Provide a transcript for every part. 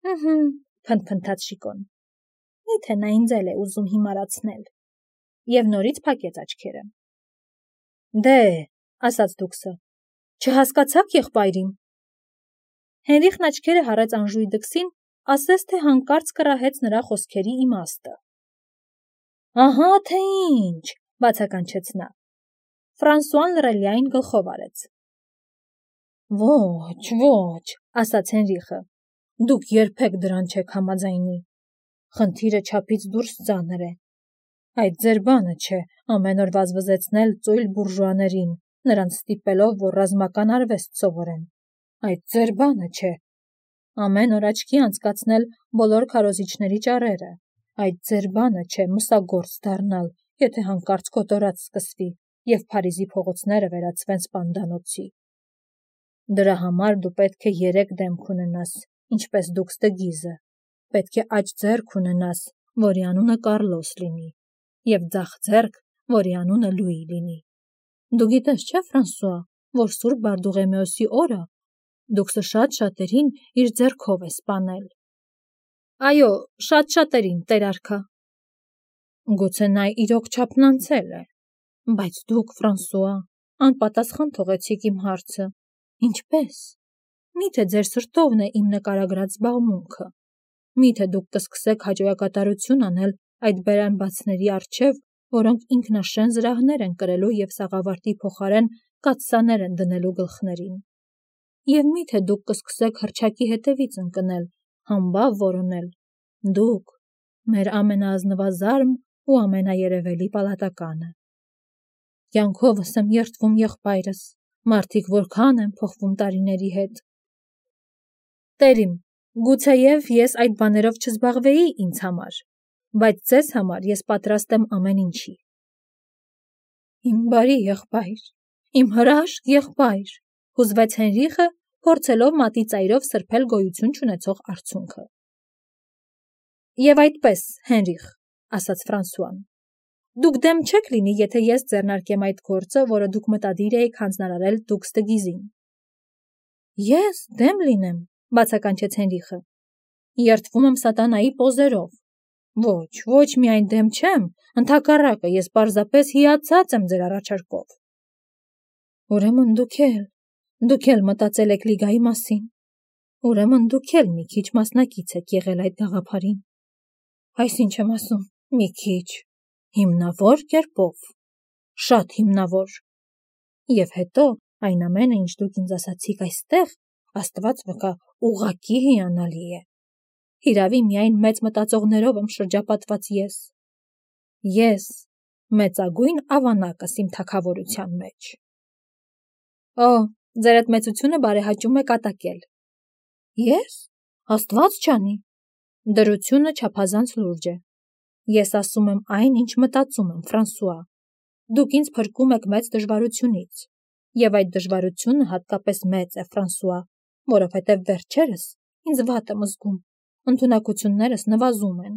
Փնթփնթաց Շիկոն։ Միթե նա ինձ էլ է ուզում հիմարացնել։ Եվ նորից փակեց աչքերը։ Դե, ասաց Դուքսը, չհասկացաք եղբայրին։ Հենրիխն աչքերը հառեց անժույգ դքսին, ասես թե հանկարծ կռահեց նրա խոսքերի իմաստը։ Ահա թե ինչ, բացականչեց նա։ Ֆրանսուան լռելիային գլխով արեց։ Ոչ, ասաց Հենրիխը, դուք երբեք դրան չեք համաձայնի։ Խնդիրը չափից դուրս ծանր է։ Այդ ձեր բանը չէ ամեն օր վազվզեցնել ծույլ բուրժուաներին, նրանց ստիպելով, որ ռազմական արվեստ սովորեն։ Այդ ձեր բանը չէ։ Ամեն օր աչքի անցկացնել բոլոր քարոզիչների ճառերը։ Այդ ձեր բանը չէ մսագործ դառնալ, եթե հանկարծ կոտորած սկսվի, և Փարիզի փողոցները վերածվեն սպանդանոցի։ Դրա համար դու պետք է 3 դեմք ունենաս, ինչպես Դուքս դը Գիզը։ Պետք է աջ ձեռք ունենաս, որի անունը Կարլոս լինի, և ձախ ձեռք, որի անունը Լուի լինի։ Դու գիտես, չէ, Ֆրանսուଆ, որ Սուրբ Բարդուղեմեոսի օրը Դուքսը շատ-շատերին իր ձեռքով է սպանել։ Այո, շատ-շատերին, տեր արքա։ Գուցե նա իրոք չափն անցել է, բայց դուք, Ֆրանսուଆ, անպատասխան թողեցիք իմ հարցը։ Ինչպես։ Միթե ձեր սրտովն է իմ նկարագրած զբաղմունքը։ Միթե դուք կսկսեք հաջողակատարություն անել այդ բերանբացների առջև, որոնք ինքնաշեն զրահներ են կրելու և սաղավարտի փոխարեն կաթսաներ են դնելու գլխներին։ Եվ միթե դուք կսկսեք հռչակի հետևից ընկնել, համբավ որոնել։ Դուք, մեր ամենաազնվազարմ ու ամենաերևելի պալատականը։ Կյանքովս եմ երդվում եղբայրս, մարդիկ որքան են փոխվում տարիների հետ։ Տերիմ, գուցեև ես այդ բաներով չզբաղվեի ինձ համար, բայց ձեզ համար ես պատրաստ եմ ամեն ինչի։ Իմ բարի եղբայր, իմ հրաշք եղբայր, հուզվեց Հենրիխը, փորձելով մատի ծայրով սրբել գոյություն չունեցող արցունքը։ Եվ այդպես, Հենրիխ, ասաց Ֆրանսուան, դուք դեմ չեք լինի, եթե ես ձեռնարկեմ այդ գործը, որը դուք մտադիր էիք հանձնարարել Դուքս դը Գիզին։ Ես դեմ լինեմ, բացականչեց Հենրիխը։ Երդվում եմ սատանայի պոզերով։ Ոչ միայն դեմ չեմ, ընդհակառակը ես պարզապես հիացած եմ ձեր առաջարկով։ Ուրեմն դուք էլ մտածել եք լիգայի մասին։ Ուրեմն դուք էլ մի քիչ մասնակից եք եղել այդ գաղափարին։ Այսինչ եմ ասում, մի քիչ, հիմնավոր կերպով, շատ հիմնավոր։ Եվ հետո այն ամենը, ինչ դուք ինձ ասացիք այստեղ, Աստված վկա, ուղղակի հիանալի է։ Հիրավի միայն մեծ մտածողներով եմ շրջապատված ես։ Ես մեծագույն ավանակս իմ թագավորության մեջ։ Ձեր այդ մեծությունը բարեհաճում է կատակել։ Ես։ Աստված չանի։ Դրությունը չափազանց լուրջ է։ Ես ասում եմ այն, ինչ մտածում եմ, Ֆրանսուଆ։ Դուք ինձ փրկում եք մեծ դժվարությունից։ Եվ այդ դժվարությունը հատկապես մեծ է, Ֆրանսուଆ, որովհետև վերջերս ինձ վատ եմ զգում, ընդունակություններս նվազում են։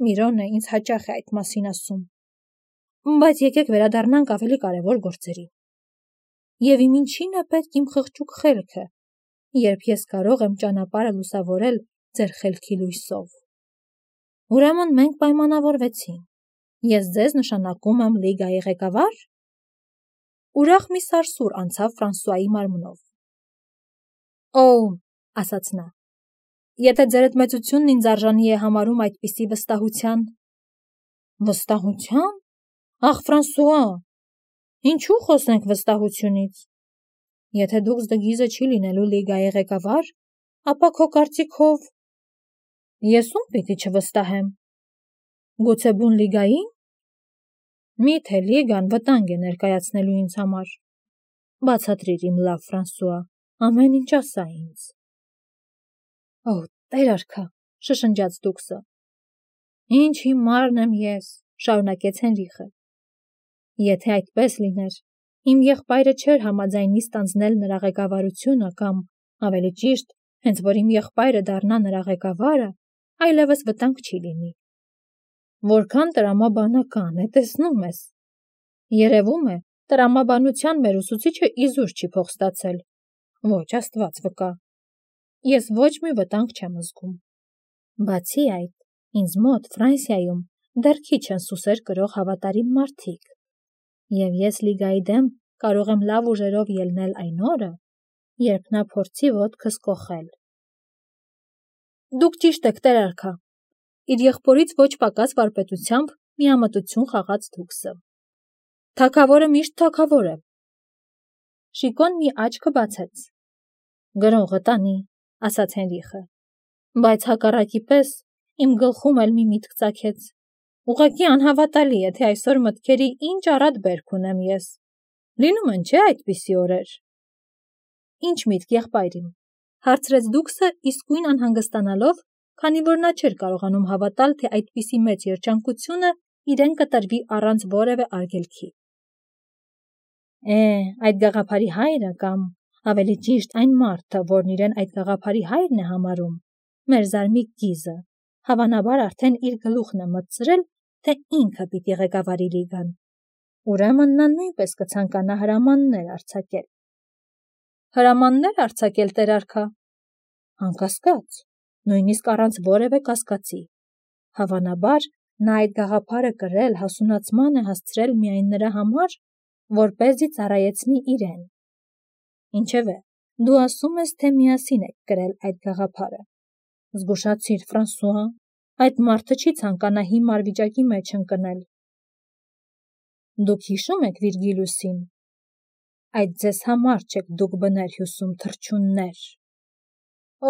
Միրոնը ինձ հաճախ է այդ մասին ասում։ Բայց եկեք վերադառնանք ավելի կարևոր գործերի։ Եվ իմ ինչին է պետք իմ խղճուկ խելքը, երբ ես կարող եմ ճանապարհը լուսավորել ձեր խելքի լույսով։ Ուրեմն մենք պայմանավորվեցինք։ Ես ձեզ նշանակում եմ լիգայի ղեկավար։ Ուրախ մի սարսուռ անցավ Ֆրանսուայի մարմնով։ Ասաց նա, եթե ձեր այդ մեծությունն ինձ արժանի է համարում այդպիսի վստահության։ Վստահության։ Ախ, Ֆրանսուଆ, ինչու խոսենք վստահությունից։ Եթե Դուքս դը Գիզը չի լինելու լիգայի ղեկավար, ապա քո կարծիքով ես ում պիտի չվստահեմ։ Գուցե բուն լիգային։ Միթե լիգան վտանգ է ներկայացնելու ինձ համար։ Բացատրիր իմ լավ Ֆրանսուଆ, ամեն ինչ ասա ինձ։ Տեր արքա, շշնջաց Դուքսը։ Ինչ հիմարն եմ ես, շարունակեց Հենրիխը։ Եթե այդպես լիներ, իմ եղբայրը չէր համաձայնի ստանձնել նրա ղեկավարությունը կամ, ավելի ճիշտ, հենց որ իմ եղբայրը դառնա նրա ղեկավարը, այլևս վտանգ չի լինի։ Որքան տրամաբանական է, տեսնում ես։ Երևում է, տրամաբանության մեր ուսուցիչը իզուր չի փող ստացել։ Ոչ, Աստված վկա։ Ես ոչ մի վտանգ չեմ զգում։ Բացի այդ, ինձ մոտ Ֆրանսիայում դեռ քիչ են սուսեր կրող հավատարիմ մարդիկ, և ես Լիգայի դեմ կարող եմ լավ ուժերով ելնել այն օրը, երբ նա փորձի ոտքս կոխել։ Դուք ճիշտ եք, տեր արքա, իր եղբորից ոչ պակաս վարպետությամբ միամտություն խաղաց դուքսը։ Թագավորը միշտ թագավոր է։ Շիկոն մի աչքը բացեց։ Գրողը տանի, ասաց Հենրիխը, բայց հակառակի պես իմ գլխում էլ մի միտք ծագեց։ Ուղղակի անհավատալի է, թե այսօր մտքերի ինչ առատ բերք ունեմ ես։ Լինում են, չէ՞ այդպիսի օրեր։ Ինչ միտք, եղբայր իմ, հարցրեց դուքսը իսկույն անհանգստանալով, քանի որ նա չէր կարողանում հավատալ, թե այդպիսի մեծ երջանկությունը իրեն կտրվի առանց որևէ արգելքի։ Այդ գաղափարի հայրը կամ ավելի ճիշտ այն մարդը, որն իրեն այդ գաղափարի հայրն է համարում, մեր զարմիկ գիզը, հավանաբար արդեն իր գլուխն է մտցրել, թե ինքը պիտի ղեկավարի լիգան։ Ուրեմն նա նույնպես կցանկանա հրամաններ արձակել։ Հրամաններ արձակել, տեր արքա։ Անկասկած, նույնիսկ առանց որևէ կասկածի։ Հավանաբար նա այդ գաղափարը կրել հասունացման է հասցրել միայն նրա համար, որպեսզի ծառայեցնի իրեն։ Ինչևէ, դու ասում ես, թե միասին եք կրել այդ գաղափարը։ Զգուշացիր, Ֆրանսուଆ, այդ մարդը չի ցանկանա հիմար վիճակի մեջ ընկնել։ Դուք հիշում եք Վիրգիլիուսին։ Այդ ձեզ համար չեք դուք բներ հյուսում թռչուններ։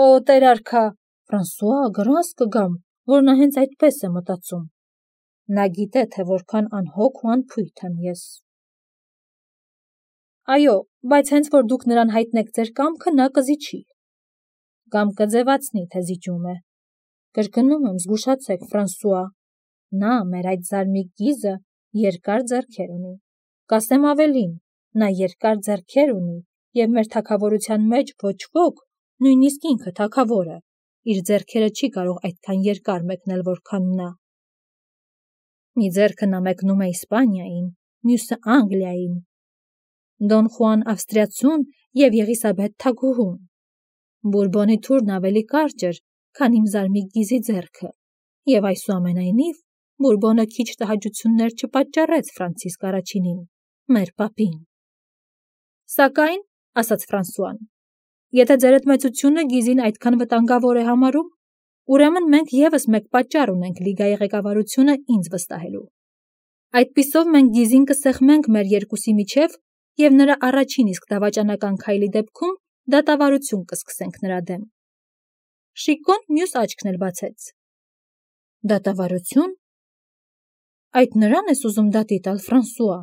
Օ, տեր արքա, Ֆրանսուଆ, գրազ կգամ, որ նա հենց այդպես է մտածում։ Նա գիտե, թե որքան անհոգ ու անփույթ եմ ես։ Այո, բայց հենց որ դուք նրան հայտնեք ձեր կամքը, նա կզիջի։ Կամ կձևացնի, թե զիջում է։ Կրկնում եմ, զգուշացեք, Ֆրանսուଆ, նա, մեր այդ զարմիկ գիզը, երկար ձեռքեր ունի։ Կասեմ ավելին, նա երկար ձեռքեր ունի, և մեր թագավորության մեջ ոչ ոք, նույնիսկ ինքը թագավորը, իր ձեռքերը չի կարող այդքան երկար մեկնել, որքան նա։ Մի ձեռքը նա մեկնում է Իսպանիային, մյուսը Անգլիային, Դոն Խուան Ավստրիացուն և Եղիսաբեթ թագուհուն։ Բուրբոնի թուրն ավելի կարճ էր, քան իմ զարմիկ գիզի ձեռքը, և այսուամենայնիվ Բուրբոնը քիչ տհաճություններ չպատճառեց Ֆրանցիսկ առաջինին, մեր պապին։ Սակայն, ասաց Ֆրանսուան, եթե ձերդ մեծությունը գիզին այդքան վտանգավոր է համարում, ուրեմն մենք ևս մեկ պատճառ ունենք լիգայի ղեկավարությունը ինձ վստահելու։ Այդպիսով մենք գիզին կսեղմենք մեր երկուսի միջև և նրա առաջին իսկ դավաճանական քայլի դեպքում դատավարություն կսկսենք նրա դեմ։ Շիկոն մյուս աչքն էլ բացեց։ Դատավարություն։ Այդ նրան ես ուզում դատի տալ, Ֆրանսուଆ։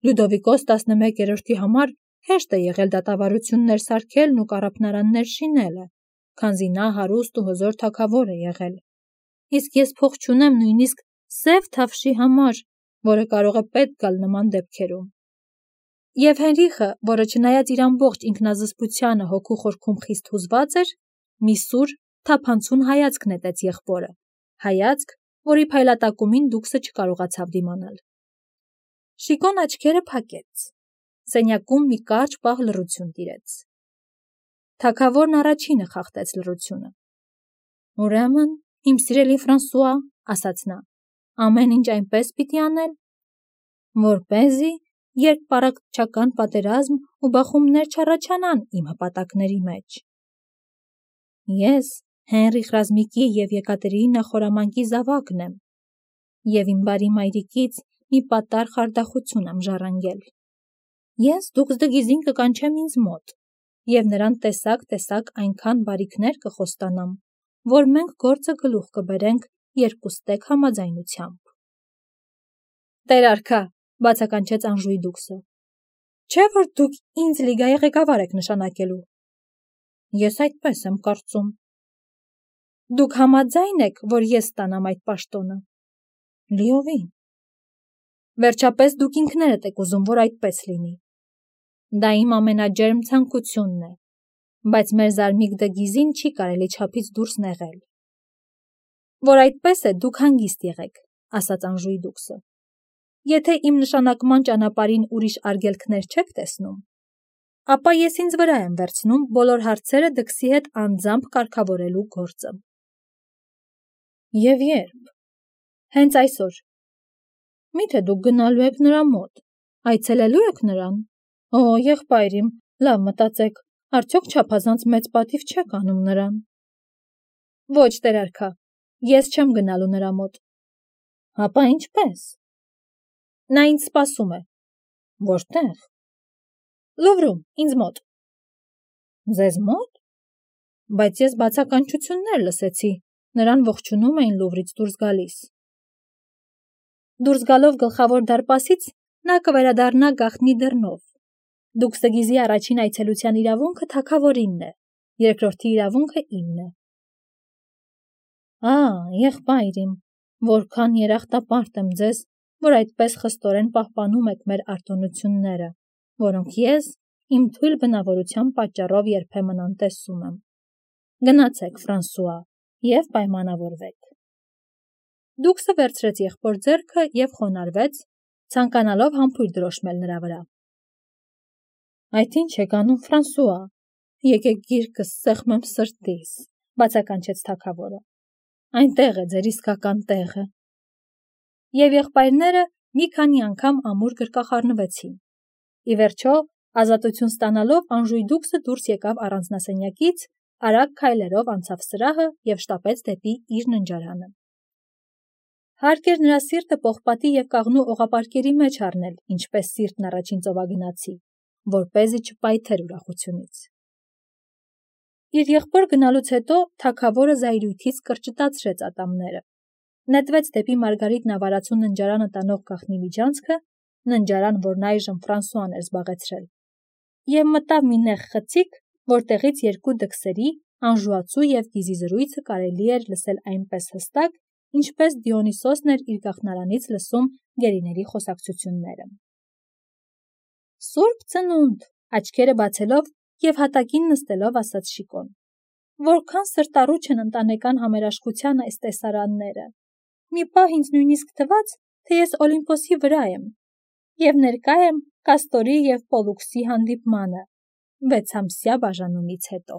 Լյուդովիկոս 11-րդի համար հեշտ է եղել դատավարություններ սարքելն ու կառափնարաններ շինելը, քանզի նա հարուստ ու հզոր թագավոր է եղել։ Իսկ ես փող չունեմ նույնիսկ սև թավշի համար, որը կարող է պետք գալ նման դեպքերում։ Եվ Հենրիխը, որը չնայած իր ամբողջ ինքնազսպությանը հոգու խորքում խիստ հուզված էր, մի սուր, թափանցուն հայացք նետեց եղբորը, հայացք, որի փայլատակումին դուքսը չկարողացավ դիմանալ։ Շիկոն աչքերը փակեց։ Սենյակում մի կարճ պահ լռություն տիրեց։ Թագավորն առաջինը խախտեց լռությունը։ Ուրեմն, իմ սիրելի Ֆրանսուଆ, ասաց նա, ամեն ինչ այնպես պիտի անել, որպեսզի երկպառակտչական պատերազմ ու բախումներ չառաջանան իմ հպատակների մեջ։ Ես Հենրիխ Ռազմիկի և Եկատերինա խորամանկի զավակն եմ, և իմ բարի մայրիկից մի պատառ խարդախություն եմ ժառանգել։ Ես դուքս դգիզին կկանչեմ ինձ մոտ, և նրան տեսակ այնքան բարիքներ կխոստանամ, որ մենք գործը գլուխ կբերենք երկուստեք համաձայնությամբ։ Տեր արքա, բացականչեց Անժուի դուքսը, չէ՞ որ դուք ինձ լիգայի ղեկավար եք նշանակելու։ Ես այդպես եմ կարծում։ Դուք համաձայն եք, որ ես ստանամ այդ պաշտոնը։ Լիովին։ Վերջապես դուք ինքներդ եք ուզում, որ այդպես լինի։ Դա իմ ամենաջերմ ցանկությունն է, բայց մեր զարմիկ դգիզին չի կարելի չափից դուրս նեղել։ Որ այդպես է, դուք հանգիստ եղեք, ասաց Անժուի դուքսը։ Եթե իմ նշանակման ճանապարհին ուրիշ արգելքներ չեք տեսնում, ապա ես ինձ վրա եմ վերցնում բոլոր հարցերը դքսի հետ անձամբ կարգավորելու գործը։ Եվ երբ։ Հենց այսօր։ Միթե դուք գնալու եք նրա մոտ, այցելելու եք նրան։ Օ, եղբայրիմ, լավ մտածեք, արդյոք չափազանց մեծ պատիվ չեք անում նրան։ Ոչ, տերարքա, ես չեմ գնալու նրա մոտ։ Հապա ինչպես։ Նա ինձ սպասում է։ Որտեղ։ Լուվրում, ինձ մոտ։ Ձեզ մոտ։ Բայց ես բացականչություններ լսեցի, նրան ողջունում էին Լուվրից դուրս գալիս։ Դուրս գալով գլխավոր դարպասից նա կվերադառնա գաղտնի դռնով։ Դուքսդգիզի առաջին այցելության իրավունքը թագավորինն է, երկրորդի իրավունքը իմն է։ Եղբայրիմ, որքան երախտապարտ եմ ձեզ, որ այդպես խստորեն պահպանում եք մեր արտոնությունները, որոնք ես իմ թույլ բնավորության պատճառով երբեմն անտեսում եմ։ Գնացեք, Ֆրանսուଆ, և պայմանավորվեք։ Դուքսը վերցրեց եղբոր ձեռքը և խոնարհվեց, ցանկանալով համբույր դրոշմել նրա վրա։ Այդ ինչ եք անում, Ֆրանսուଆ, եկեք գիրկս սեղմեմ սրտիս, բացականչեց թագավորը։ Այնտեղ է ձեր իսկական տեղը։ Եվ եղբայրները մի քանի անգամ ամուր գրկախառնվեցին։ Ի վերջո, ազատություն ստանալով Անժուի դուքսը դուրս եկավ առանձնասենյակից, արագ քայլերով անցավ սրահը և շտապեց դեպի իր ննջարանը։ Հարկ էր նրա սիրտը պողպատի և կաղնու օղապարկերի մեջ առնել, ինչպես սիրտն առաջին ծովագնացի, որպեսզի չպայթեր ուրախությունից։ Իր եղբոր գնալուց հետո թագավորը զայրույթից կրճտացրեց ատամները, նետվեց դեպի Մարգարիտ Նավարացու ննջարանը տանող գաղտնի միջանցքը, ննջարան, որն այժմ Ֆրանսուան էր զբաղեցրել, և մտավ մի նեղ խցիկ, որտեղից երկու դքսերի, անժուացու և գիզի զրույցը կարելի էր լսել այնպես հստակ, ինչպես Դիոնիսոսն էր իր գաղթնարանից լսում գերիների խոսակցությունները։ Սուրբ ծնունդ, աչքերը բացելով և հատակին նստելով ասաց Շիկոն, որքան սրտառուչ են ընտանեկան համերաշխությանը այս տեսարանները։ Մի պահ ինձ նույնիսկ թվաց, թե ես Օլիմպոսի վրա եմ և ներկա եմ Կաստորի և Պոլուքսի հանդիպմանը 6 ամսյա բաժանումից հետո։